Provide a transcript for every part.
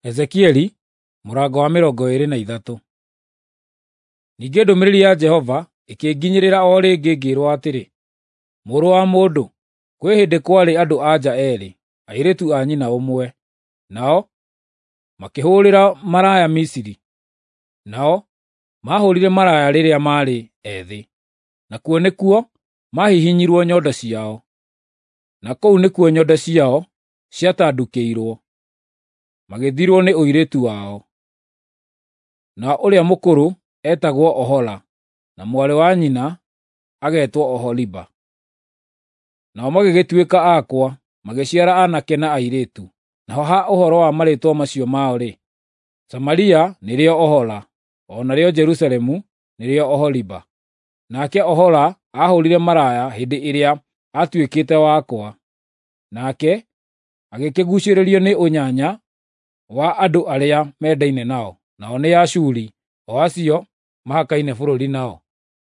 Ezekieli mũrango wa 23. Ningĩ ndũmĩrĩri ya Jehova ĩkĩnginyĩrĩra o rĩngĩ ngĩĩrwo atĩrĩ, “Mũrũ wa mũndũ, kwĩ hĩndĩ kwarĩ andũ-a-nja eerĩ, airĩtu a nyina ũmwe, nao makĩhũũrĩra maraya Misiri. Nao maahũũrire maraya rĩrĩa maarĩ ethĩ, nakuo nĩkuo maahihinyirwo nyondo ciao, na kũu nĩkuo nyondo ciao ciatandukĩirwo, magĩthirwo nĩ ũirĩtu wao. Na ũrĩa mũkũrũ eetagwo Ohola na mwarĩ wa nyina agetwo Oholiba. Nao magĩgĩtuĩka akwa, magĩciara aanake na airĩtu. Naho ha ũhoro wa marĩĩtwa macio mao-rĩ, Samaria nĩrĩo Ohola, o narĩo Jerusalemu nĩrĩo Oholiba. Nake Ohola aahũũrire maraya hĩndĩ ĩrĩa aatuĩkĩte wakwa, nake agĩkĩguucĩrĩrio nĩ ũnyanya wa andũ arĩa mendaine nao, nao nĩ Ashuri, o acio mahakaine bũrũri nao.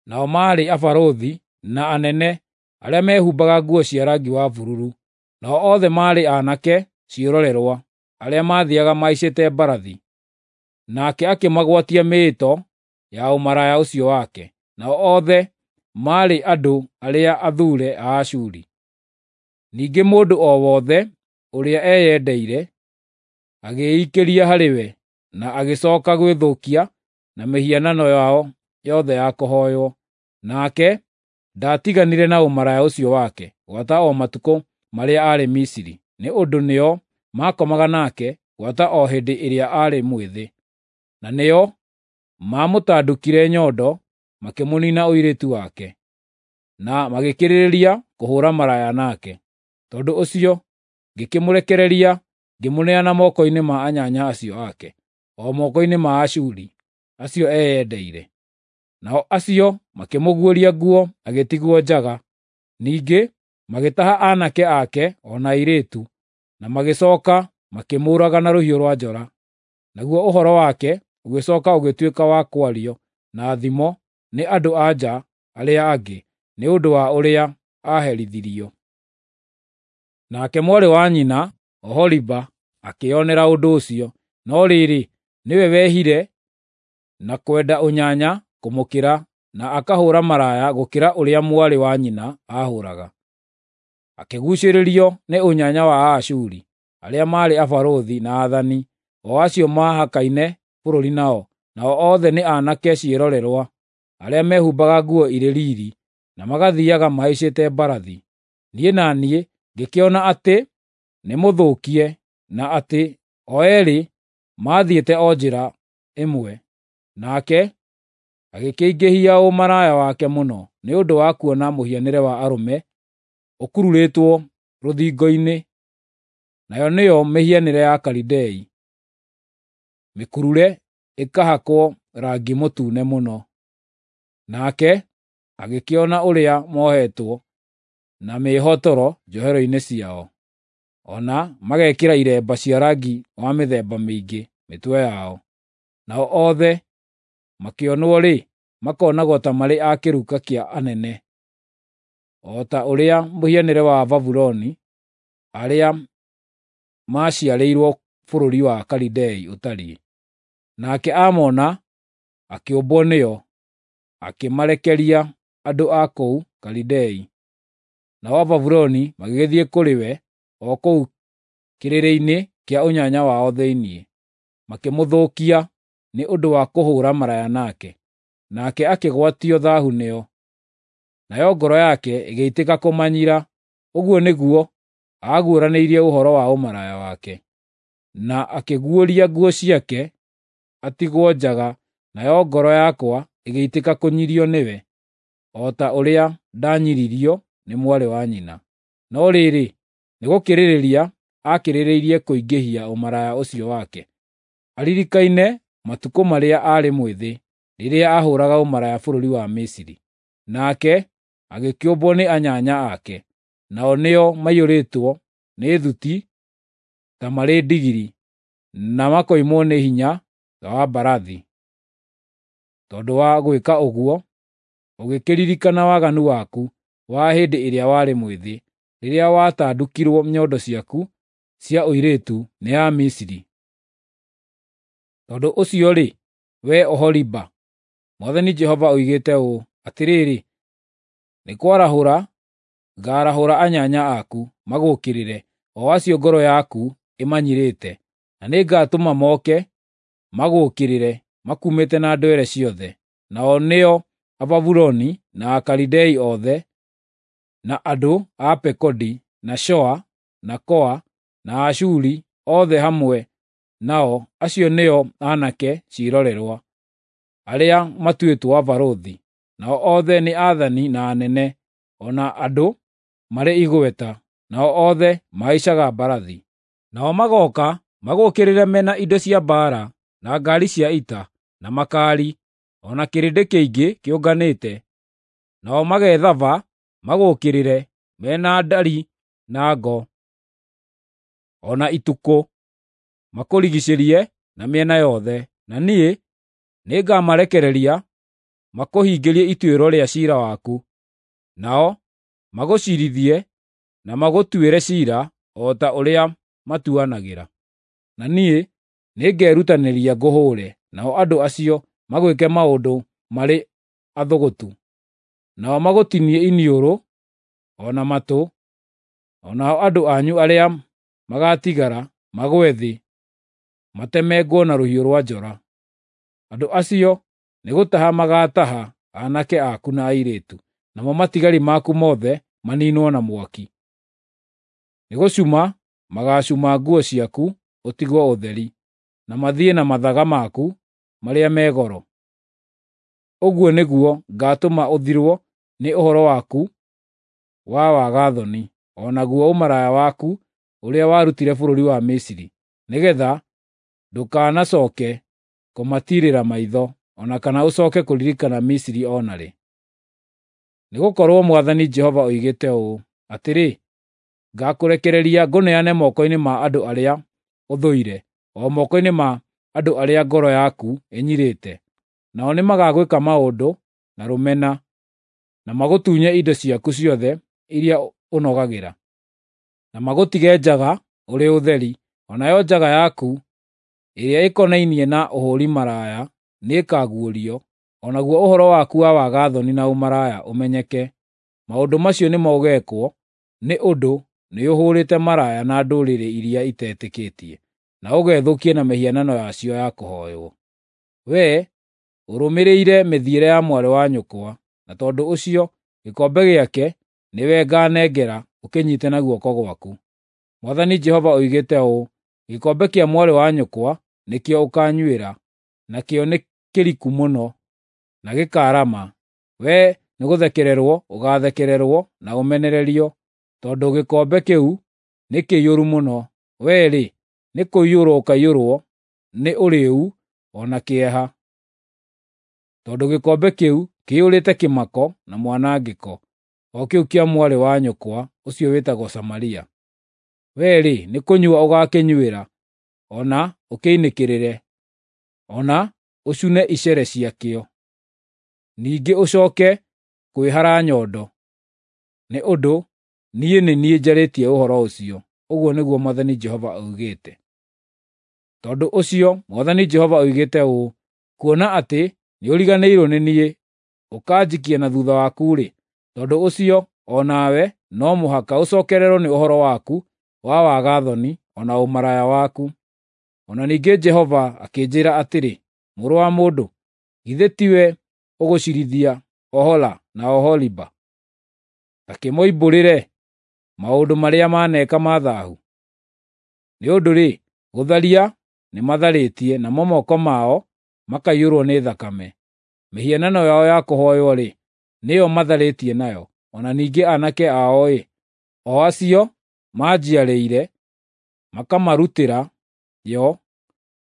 Nao maarĩ abarũthi na anene arĩa meehumbaga nguo cia rangi wa bururu. Nao othe maarĩ aanake ciĩrorerwa arĩa maathiiaga mahaicĩte mbarathi. Nake akĩmagwatia mĩĩto ya ũmaraya ũcio wake. Nao othe maarĩ andũ arĩa athuure a Ashuri. Ningĩ mũndũ o wothe ũrĩa eyendeire agĩĩikĩria harĩ we, na agĩcooka gwĩthũkia na mĩhianano yao yothe ya kũhooywo. Nake ndaatiganire na ũmaraya ũcio wake gwata o matukũ marĩa aarĩ Misiri, nĩ ũndũ nĩo maakomaga nake gwata o hĩndĩ ĩrĩa aarĩ mwĩthĩ, na nĩo maamũtandukire nyondo makĩmũniina ũirĩtu wake, na magĩkĩrĩrĩria kũhũũra maraya nake. Tondũ ũcio ngĩkĩmũrekereria ngĩmũneana moko-inĩ ma anyanya acio ake, o moko-inĩ ma Ashuri acio eyendeire. Nao acio makĩmũguũria nguo agĩtigwo njaga. Ningĩ magĩtaha aanake ake o na airĩtu, na magĩcooka makĩmũũraga na rũhiũ rwa njora. Naguo ũhoro wake ũgĩcooka ũgĩtuĩka wa kwario na thimo nĩ andũ-a-nja arĩa angĩ, nĩ ũndũ wa ũrĩa aaherithirio. Nake mwarĩ wa nyina Oholiba akĩĩonera ũndũ ũcio, no rĩrĩ, nĩwe wehire na kwenda ũnyanya kũmũkĩra na akahũũra maraya gũkĩra ũrĩa mwarĩ wa nyina aahũũraga. Akĩguucĩrĩrio nĩ ũnyanya wa Aashuri, arĩa maarĩ abarũthi na aathani, o acio maahakaine bũrũri nao, nao othe nĩ aanake ciĩrorerwa, arĩa meehumbaga nguo irĩ riiri, na magathiiaga mahaicĩte mbarathi. Niĩ na niĩ ngĩkĩona atĩ nĩmũthũkie, na atĩ o eerĩ maathiĩte o njĩra ĩmwe. Nake agĩkĩingĩhia ũmaraya wake mũno nĩ ũndũ wa kuona mũhianĩre wa arũme ũkururĩtwo rũthingo-inĩ, nayo nĩyo mĩhianĩre ya Akalidei, mĩkurure ĩkahakwo rangi mũtune mũno. Nake agĩkĩona ũrĩa mohetwo na mĩĩhotoro njohero-inĩ ciao, o na magekĩra iremba cia rangi wa mĩthemba mĩingĩ mĩtwe yao. Nao othe makĩonwo-rĩ, makonagwo ta marĩ a kĩruka kĩa anene, o ta ũrĩa mũhianĩre wa Babuloni arĩa maaciarĩirwo bũrũri wa Kalidei ũtariĩ. Nake aamona akĩũmbwo nĩo, akĩmarekeria andũ a kũu Kalidei. Nao Ababuloni magĩgĩthiĩ kũrĩ we o kũu kĩrĩrĩ-inĩ kĩa ũnyanya wao thĩinĩ, makĩmũthũkia nĩ ũndũ wa kũhũũra maraya nake. Nake akĩgwatio thaahu nĩo, nayo ngoro yake ĩgĩitĩka kũmanyira. Ũguo nĩguo aaguũranĩirie ũhoro wa ũmaraya wake, na akĩguũria nguo ciake atigwo njaga, nayo ngoro yakwa ĩgĩitĩka kũnyirio nĩwe, o ta ũrĩa ndanyiririo nĩ mwarĩ wa nyina. No rĩrĩ, nĩgũkĩrĩrĩria aakĩrĩrĩirie kũingĩhia ũmaraya ũcio wake, aririkaine matukũ marĩa aarĩ mwĩthĩ, rĩrĩa aahũũraga ũmaraya bũrũri wa Misiri. Nake agĩkĩũmbwo nĩ anyanya ake, nao nĩo maiyũrĩtwo nĩ thuti ta marĩ ndigiri, na makoimwo nĩ hinya ta wa mbarathi. Tondũ wa gwĩka ũguo, ũgĩkĩririkana waganu waku wa hĩndĩ ĩrĩa warĩ mwĩthĩ, rĩrĩa watandukirwo nyondo ciaku cia ũirĩtu nĩ Amisiri. Tondũ ũcio-rĩ, wee Oholiba, Mwathani Jehova oigĩte ũũ: Atĩrĩrĩ, nĩ kwarahũra ngaarahũra anyanya aku magũũkĩrĩre, o acio ngoro yaku ĩmanyirĩte, na nĩngatũma moke magũũkĩrĩre makuumĩte na ndwere ciothe, nao nĩo Ababuloni na Akalidei othe, na andũ a Pekodi, na Shoa, na Koa, na Ashuri othe hamwe nao, acio nĩo aanake ciĩrorerwa, arĩa matuĩtwo abarũthi, nao othe nĩ aathani na anene, o na andũ marĩ igweta, nao othe mahaicaga mbarathi. Nao magooka magũũkĩrĩre me na indo cia mbaara, na ngaari cia ita, na makaari, o na kĩrĩndĩ kĩingĩ kĩũnganĩte. Nao magethaba magũũkĩrĩre me na ndari na ngo, o na itukũ, makũrigiicĩrie na mĩena yothe. Na niĩ nĩngamarekereria makũhingĩrie ituĩro rĩa ciira waku, nao magũciirithie na magũtuĩre ciira o ta ũrĩa matuanagĩra. Na niĩ nĩngerutanĩria ngũhũũre, nao andũ acio magwĩke maũndũ marĩ athũgũtu. Nao magũtinie iniũrũ o na matũ, o nao andũ anyu arĩa magaatigara magwe thĩ, matemengwo na rũhiũ rwa njora. Andũ acio nĩgũtaha magaataha aanake aku na airĩtu, namo matigari maku mothe maniinwo na mwaki. Nĩgũcuma magaacuma nguo ciaku ũtigwo ũtheri, na mathiĩ na mathaga maku marĩa me goro. Ũguo nĩguo ngaatũma ũthirwo nĩ ũhoro waku wa waga-thoni, o naguo ũmaraya waku ũrĩa warutire bũrũri wa Misiri, nĩgeetha ndũkanacooke kũmatiirĩra maitho, o na kana ũcooke kũririkana Misiri o na rĩ. Nĩgũkorwo Mwathani Jehova oigĩte ũũ: Atĩrĩ, ngaakũrekereria ngũneane moko-inĩ ma andũ arĩa ũthũire, o moko-inĩ ma andũ arĩa ngoro yaku ĩnyirĩte. Nao nĩmagagwĩka maũndũ na rũmena, na magũtunye indo ciaku ciothe iria ũnogagĩra, na magũtige njaga ũrĩ ũtheri. O nayo njaga yaku ĩrĩa ĩkonainie na ũhũũri maraya nĩĩkaguũrio, o naguo ũhoro waku wa waga-thoni na ũmaraya ũmenyeke. Maũndũ macio nĩmo ũgeekwo nĩ ũndũ nĩũhũũrĩte maraya na ndũrĩrĩ iria itetĩkĩtie, na ũgethũkia na mĩhianano yacio ya kũhooywo. Wee ũrũmĩrĩire mĩthiĩre ya mwarĩ wa nyũkwa, na tondũ ũcio gĩkombe gĩake nĩwe ngaanengera ũkĩnyiite na guoko gwaku. Mwathani Jehova oigĩte ũũ: Gĩkombe kĩa mwarĩ wa nyũkwa nĩkĩo ũkaanyuĩra, nakĩo nĩ kĩriku mũno na gĩkaarama. Wee nĩgũthekererwo ũgaathekererwo na ũmenererio, tondũ gĩkombe kĩu nĩ kĩiyũru mũno. Wee-rĩ, nĩkũiyũrwo ũkaiyũrwo nĩ ũrĩĩu o na kĩeha, tondũ gĩkombe kĩu kĩiyũrĩte kĩmako na mwanangĩko, o kĩu kĩa mwarĩ wa nyũkwa ũcio wĩtagwo Samaria. Wee-rĩ, nĩkũnyua ũgaakĩnyuĩra, o na ũkĩinĩkĩrĩre, o na ũcune icere ciakĩo. Ningĩ ũcooke kwĩhara nyondo, nĩ ũndũ niĩ nĩ niĩ njarĩtie ũhoro ũcio, ũguo nĩguo Mwathani Jehova oigĩte. Tondũ ũcio Mwathani Jehova oigĩte ũũ: Kuona atĩ nĩũriganĩirwo nĩ niĩ, ũkanjikia na thuutha waku-rĩ, tondũ ũcio o nawe no mũhaka ũcookererwo nĩ ũhoro waku wa waga-thoni o na ũmaraya waku. O na ningĩ Jehova akĩnjĩĩra atĩrĩ, “Mũrũ wa mũndũ, githĩ tiwe ũgũciirithia Ohola na Oholiba? Ta kĩmoimbũrĩre maũndũ marĩa maneeka ma thaahu. Nĩ ũndũ-rĩ, gũtharia nĩmatharĩtie, namo moko mao makaiyũrwo nĩ thakame. Mĩhianano yao ya kũhooywo-rĩ, nĩyo matharĩtie nayo, o na ningĩ aanake ao-ĩ, o acio manjiarĩire, makamarutĩra yo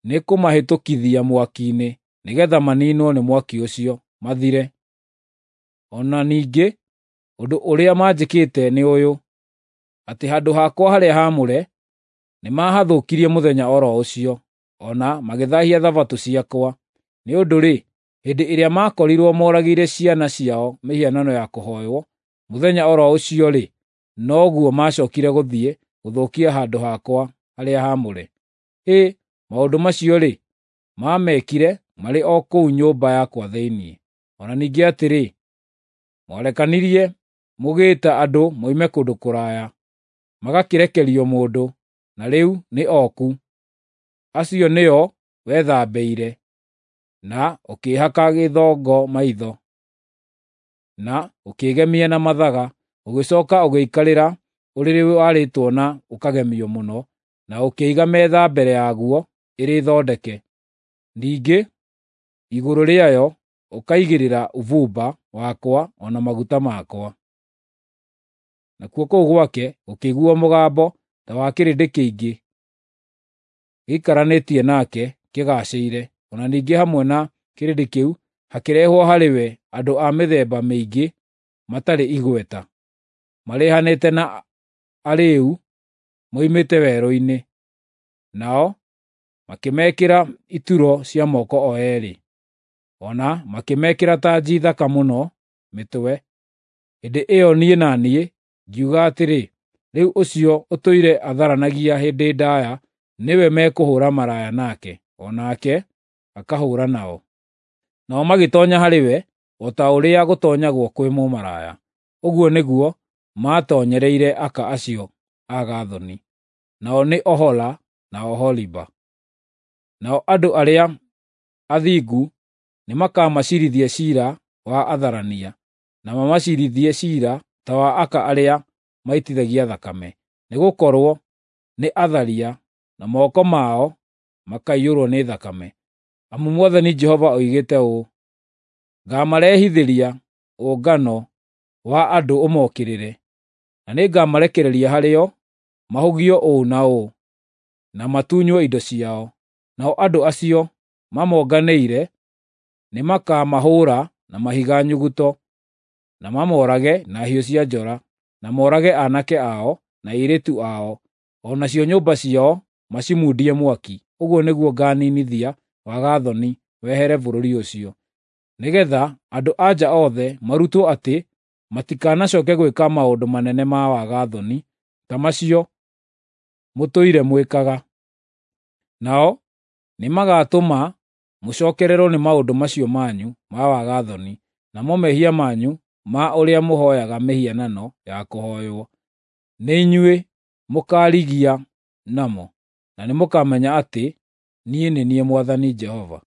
nĩ kũmahĩtũkithia mwaki-inĩ, nĩgeetha maniinwo nĩ mwaki ũcio, mathire. O na ningĩ ũndũ ũrĩa manjĩkĩte nĩ ũyũ, atĩ handũ hakwa harĩa haamũre nĩmahathũkirie mũthenya o ro ũcio, o na magĩthaahia Thabatũ ciakwa. Nĩ ũndũ-rĩ, hĩndĩ ĩrĩa maakorirwo moragĩire ciana ciao mĩhianano ya kũhooywo, mũthenya o ro ũcio-rĩ, noguo maacookire gũthiĩ gũthũkia handũ hakwa harĩa haamũre. Hĩ, maũndũ macio-rĩ, Maamekire marĩ o kũu nyũmba yakwa thĩinĩ. O na ningĩ atĩrĩ, mwarekanirie mũgĩĩta andũ moime kũndũ kũraya, magakĩrekerio mũndũ, na rĩu nĩ oku. Acio nĩo wethambĩire, na ũkĩĩhaka gĩthongo maitho, na ũkĩĩgemia na mathaga, ũgĩcooka ũgĩikarĩra ũrĩrĩ warĩtwo na ũkagemio mũno, na ũkĩiga metha mbere yaguo ĩrĩ thondeke. Ningĩ igũrũ rĩayo ũkaigĩrĩra ũbumba wakwa o na maguta makwa. Nakuo kũu gwake gũkĩiguuo mũgambo ta wa kĩrĩndĩ kĩingĩ gĩikaranĩtie nake kĩgaacĩire. O na ningĩ hamwe na kĩrĩndĩ kĩu hakĩrehwo harĩ we andũ a mĩthemba mĩingĩ matarĩ igweta, marehanĩte na arĩĩu moimĩte werũ-inĩ. Nao makĩmekĩra ituro cia moko o eerĩ, o na makĩmekĩra tanji thaka mũno mĩtwe. Hĩndĩ ĩyo niĩ na niĩ ngiuga atĩrĩ, “Rĩu ũcio ũtũire atharanagia hĩndĩ ndaaya nĩwe mekũhũũra maraya nake, o nake akahũũra nao.” Nao magĩtoonya harĩ we o ta ũrĩa gũtoonyagwo kwĩ mũmaraya. Ũguo nĩguo maatoonyereire aka acio aga-thoni, nao nĩ Ohola na Oholiba. Nao andũ arĩa athingu nĩmakamaciirithia ciira wa atharania, na mamaciirithie ciira ta wa aka arĩa maitithagia thakame, nĩgũkorwo nĩ atharia, na moko mao makaiyũrwo nĩ thakame. Amu Mwathani Jehova oigĩte ũũ: Ngaamarehithĩria ũngano wa andũ ũmokĩrĩre, na nĩngamarekereria harĩo mahũgio ũũ na ũũ, na matunywo indo ciao. Nao andũ acio mamonganĩire nĩmakamahũũra na mahiga nyuguto, na mamoorage na hiũ cia njora, na moorage aanake ao na airĩtu ao, o nacio nyũmba ciao macimundie mwaki. Ũguo nĩguo ngaaninithia waga-thoni wehere bũrũri ũcio, nĩgeetha andũ-a-nja othe marutwo atĩ matikanacooke gwĩka maũndũ manene ma waga-thoni ta macio mũtũire mwĩkaga. Nao nĩmagatũma mũcookererwo nĩ maũndũ macio manyu ma waga-thoni, namo mehia manyu ma ũrĩa mũhooyaga mĩhianano ya kũhooywo, nĩ inyuĩ mũkaarigia namo, na nĩmũkamenya atĩ niĩ nĩ niĩ Mwathani Jehova.